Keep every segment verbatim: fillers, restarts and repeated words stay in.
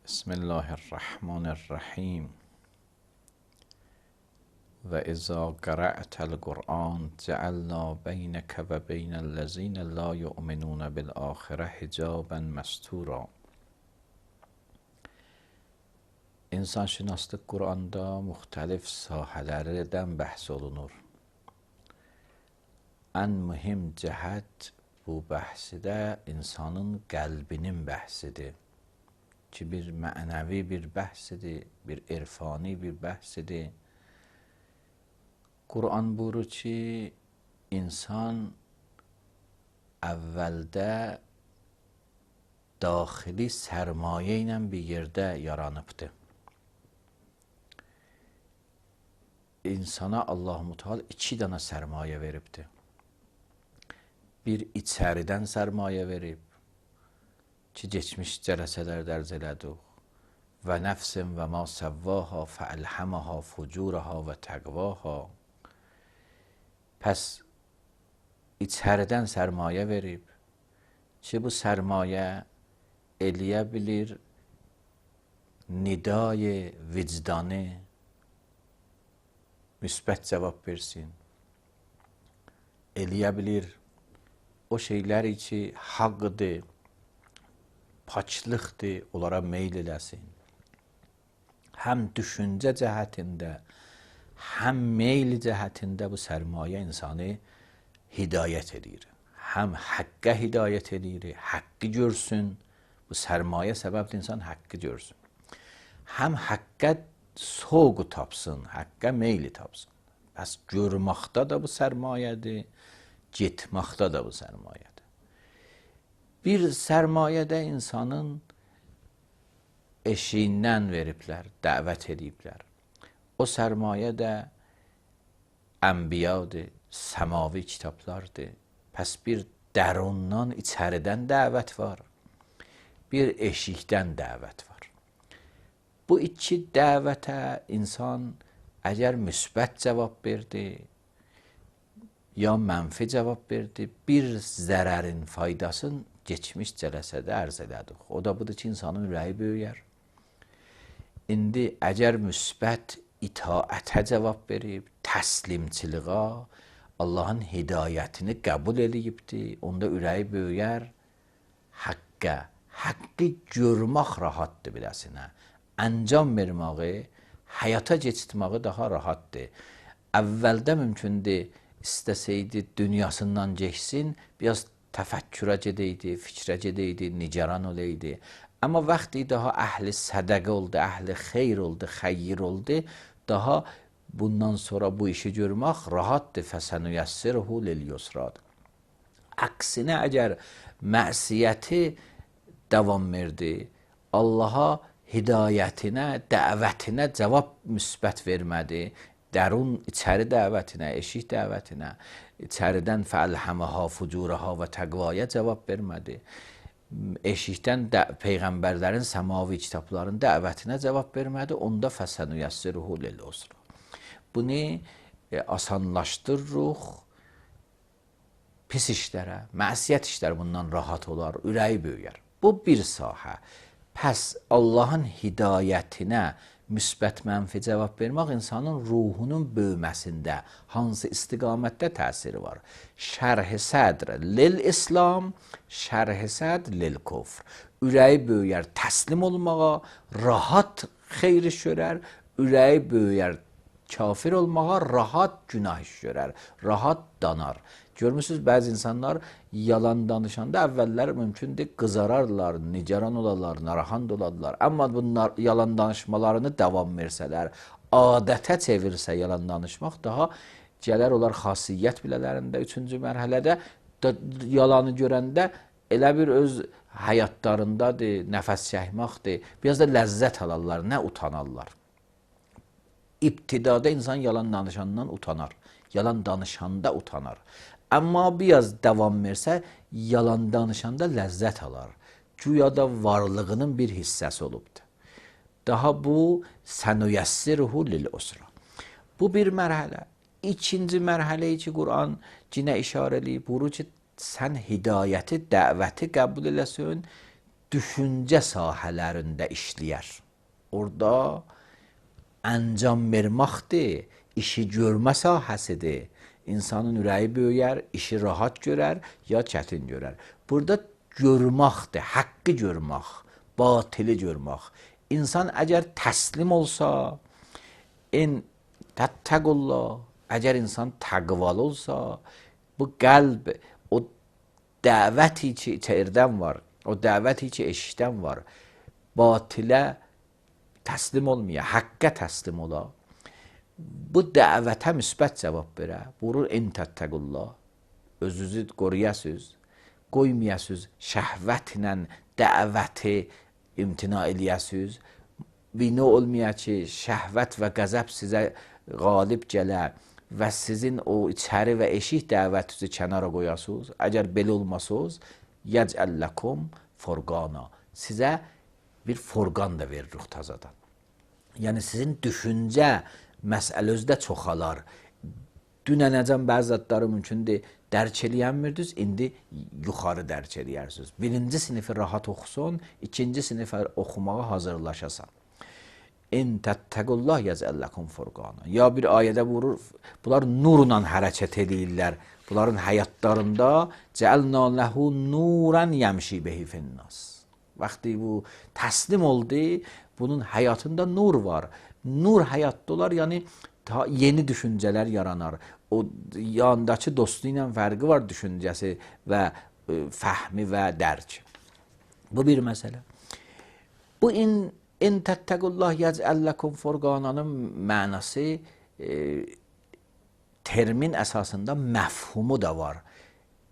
بسم الله الرحمن الرحیم و اذا قرأت القرآن جعلنا بینک و بین الذین لا یؤمنون بالآخرة حجابا مستورا. İnsanşünaslıq Quranda müxtəlif sahələrdən bəhs olunur. Ən mühüm cəhət bu bəhsidə insanın qəlbinin bəhsidir. Ki bir mənəvi bir bəhsidir, bir irfani bir bəhsidir. Quran buyurur ki, insan əvvəldə daxili sərmayə ilə bir yerdə yaranıbdır. İnsana Allah-u Teala iki dənə sərmayə veribdir. Bir içəridən sərmayə verib ki, geçmiş cələsələrdə ərz elədik. Və nəfsin və ma səvvaha fəəlhəməha fucuraha və təqvaha. Pəs içəridən sərmayə verib ki, bu sərmayə eləyə bilir nidai vicdanı müsbət cavab versin. Eləyə bilir o şeyləri ki, haqqdır, paçlıqdır, onlara meyl eləsin. Həm düşüncə cəhətində, həm meyl cəhətində bu sərmayə insanı hidayət edir. Həm həqqə hidayət edir, həqqi görsün. Bu sərmayə səbəbdir insan həqqi görsün. Həm həqqə soğu tapsın, həqqə meyli tapsın. Bəs görməkdə də bu sərmayədir, getməkdə də bu sərmayədir. Bir sərmayədə insanın eşiyindən veriblər, dəvət ediblər. O sərmayə də ənbiyadır, səmavi kitablardır. Pəs bir dərundan, içəridən dəvət var. Bir eşikdən dəvət var. Bu iki dəvətə insan əgər müsbət cavab verdi, ya mənfi cavab verdi, bir zərərin faydasını geçmiş cələsədə ərz elədik. O da budur ki, insanın ürəyi böyüyər. İndi əgər müsbət itaətə cavab verib, təslimçiliğa, Allahın hidayətini qəbul edibdir, onda ürəyi böyüyər, həqqə, həqqi görmək rahatdır biləsinə. Əncam verməyi, həyata keçirtməyi daha rahatdır. Əvvəldə mümkündür, istəsəydi dünyasından geçsin, biraz təfəkkürə gedəydi, fikrə gedəydi, nigaran olaydı. Amma vaxtı daha əhli sədəqə oldu, əhli xeyr oldu, xeyir oldu, daha bundan sonra bu işi görmək rahatdır. Fəsənüyəssirhu lil-yusradır. Əksinə əgər məsiyyəti davam verdi, Allaha hidayətinə, dəvətinə cavab müsbət vermədi, dərun içəri dəvətinə, eşik dəvətinə, içəridən fəəlhəməha fucuraha və təqvaya cavab vermədi. Eşikdən peyğəmbərlərin səmavi kitabların dəvətinə cavab vermədi, onda fəsənüyəssirhu lil-usra. Bunu e, asanlaşdırırıq, pis işlərə, məsiyyət işlər bundan rahat olar, ürəyi böyüyər. Bu bir sahə. Pəs Allahın hidayətinə müsbət mənfi cavab vermək insanın ruhunun böyüməsində hansı istiqamətdə təsiri var? Şərh-i sədr lil-İslam, şərh-i sədr lil-kufr. Ürəyi böyüyər təslim olmağa, rahat xeyr iş görər, ürəyi böyüyər kafir olmağa, rahat günah iş görər, rahat danar. Görmürsünüz, bəzi insanlar yalan danışanda əvvəllər mümkündür qızararlar, nigaran olarlar, narahat olarlar. Amma bunlar yalan danışmalarını davam versələr, adətə çevirsə yalan danışmaq, daha gələr olar xasiyyət bilələrində, üçüncü mərhələdə yalanı görəndə elə bir öz həyatlarındadır, nəfəs çəkməkdir, biraz da ləzzət alarlar, nə utanarlar. İbtidada insan yalan danışandan utanar, yalan danışanda utanar. Amma biraz davam versə, yalan danışanda ləzzət alar. Güya da varlığının bir hissəsi olubdur. Daha bu sənüyəssirhu lil-usra. Bu bir mərhələ. İkinci mərhələyi ki, Quran cinə işarə eləyib, buyurur ki, sən hidayəti, dəvəti qəbul eləsin, düşüncə sahələrində işləyər. Orada əncam verməkdir, işi görmə sahəsidir. İnsanın ürəyi böyüyər, işi rahat görər, ya çətin görər. Burada görməkdir, haqqı görmək, batili görmək. İnsan əgər təslim olsa, in təttəqullah, əgər insan təqvalı olsa, bu qəlb, o dəvəti ki içərdən var, o dəvəti ki eşikdən var, batilə təslim olmaya, haqqa təslim ola, bu dəvətə müsbət cavab verə, vurur in təttəqullah, özünüzü qoruyasınız, qoymayasınız, şəhvətlə dəvəti imtina eləyəsiniz, bina olmaya ki, şəhvət və qəzəb sizə qalib gələ və sizin o içəri və eşik dəvətinizi kənara qoyasınız, əgər belə olmasınız, yəcəlləkum furqana, sizə bir furqan da veririk tazadan. Yəni sizin düşüncə məsələnizdə çoxalar. Dünənəcən bəzi zadları mümkündür, dərk eləyənmirdiniz, indi yuxarı dərk eləyərsiniz. Birinci sinifi rahat oxusun, ikinci sinifi oxumağa hazırlaşasan. İn təttəqullah yəcəlləkum furqana. Ya bir ayədə vurur, bunlar nurla hərəkət edirlər. Bunların həyatlarında cəəlnə ləhu nuran yəmşi behi finnas. Vaxtı bu təslim oldu, bunun həyatında nur var. Nur həyatda olar, yəni ta yeni düşüncələr yaranar. O yandakı dostu ilə fərqi var düşüncəsi və e, fəhmi və dərk. Bu bir məsələ. Bu in in təttəqullah yəcəlləkum furqananın mənası e, termin əsasında məfhumu da var.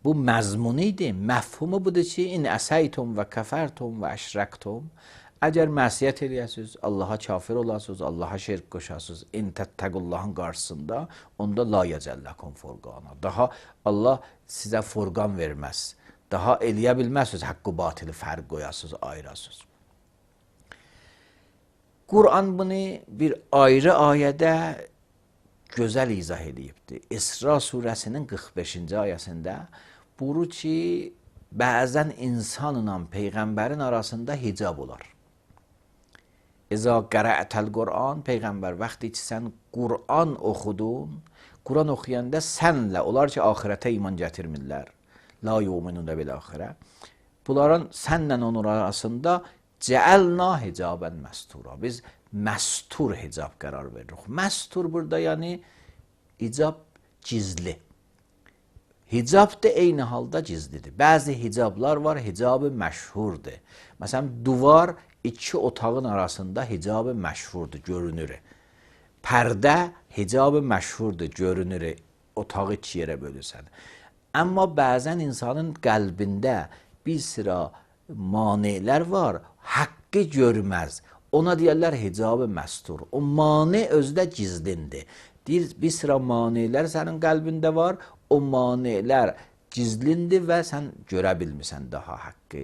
Bu məzmunu idi. Məfhumu budur ki, in əsəytum və kəfərtum və əşrəktum. Əgər məsiyyət eləyəsiniz, Allaha kafir olasınız, Allaha şirk qoşasınız, in təttəqullahın qarşısında, onda la yəcəlləkum furqana. Daha Allah sizə furqan verməz. Daha eləyə bilməzsiniz, haqqı batili fərq qoyasınız, ayırasınız. Quran bunu bir ayrı ayədə gözəl izah edibdir. İsra surəsinin qırx beşinci ayəsində buyurur ki, bəzən insanla peyğəmbərin arasında hicab olar. İza qərəətəl Quran, peyğəmbər vaxtı ki sən Quran oxudun, Quran oxuyanda sənlə, onlar ki axirətə iman gətirmirlər, la yu'minun bil axirə, bunların sənlə onun arasında cəəlna hicabən məstura. Biz məstur hicab qərar veririk. Məstur burada yəni hicab gizli. Hicab da eyni halda gizlidir. Bəzi hicablar var, hicabı məşhurdur. Məsələn, duvar iki otağın arasında hicabı məşhurdur, görünür. Pərdə hicabı məşhurdur, görünür. Otağı iki yerə bölürsən. Amma bəzən insanın qəlbində bir sıra manelər var, haqqı görməz. Ona deyərlər hicabı məstur. O mane özdə gizlindir. Deyir, bir sıra manelər sənin qəlbində var, o manelər gizlindir və sən görə bilmirsən daha haqqı.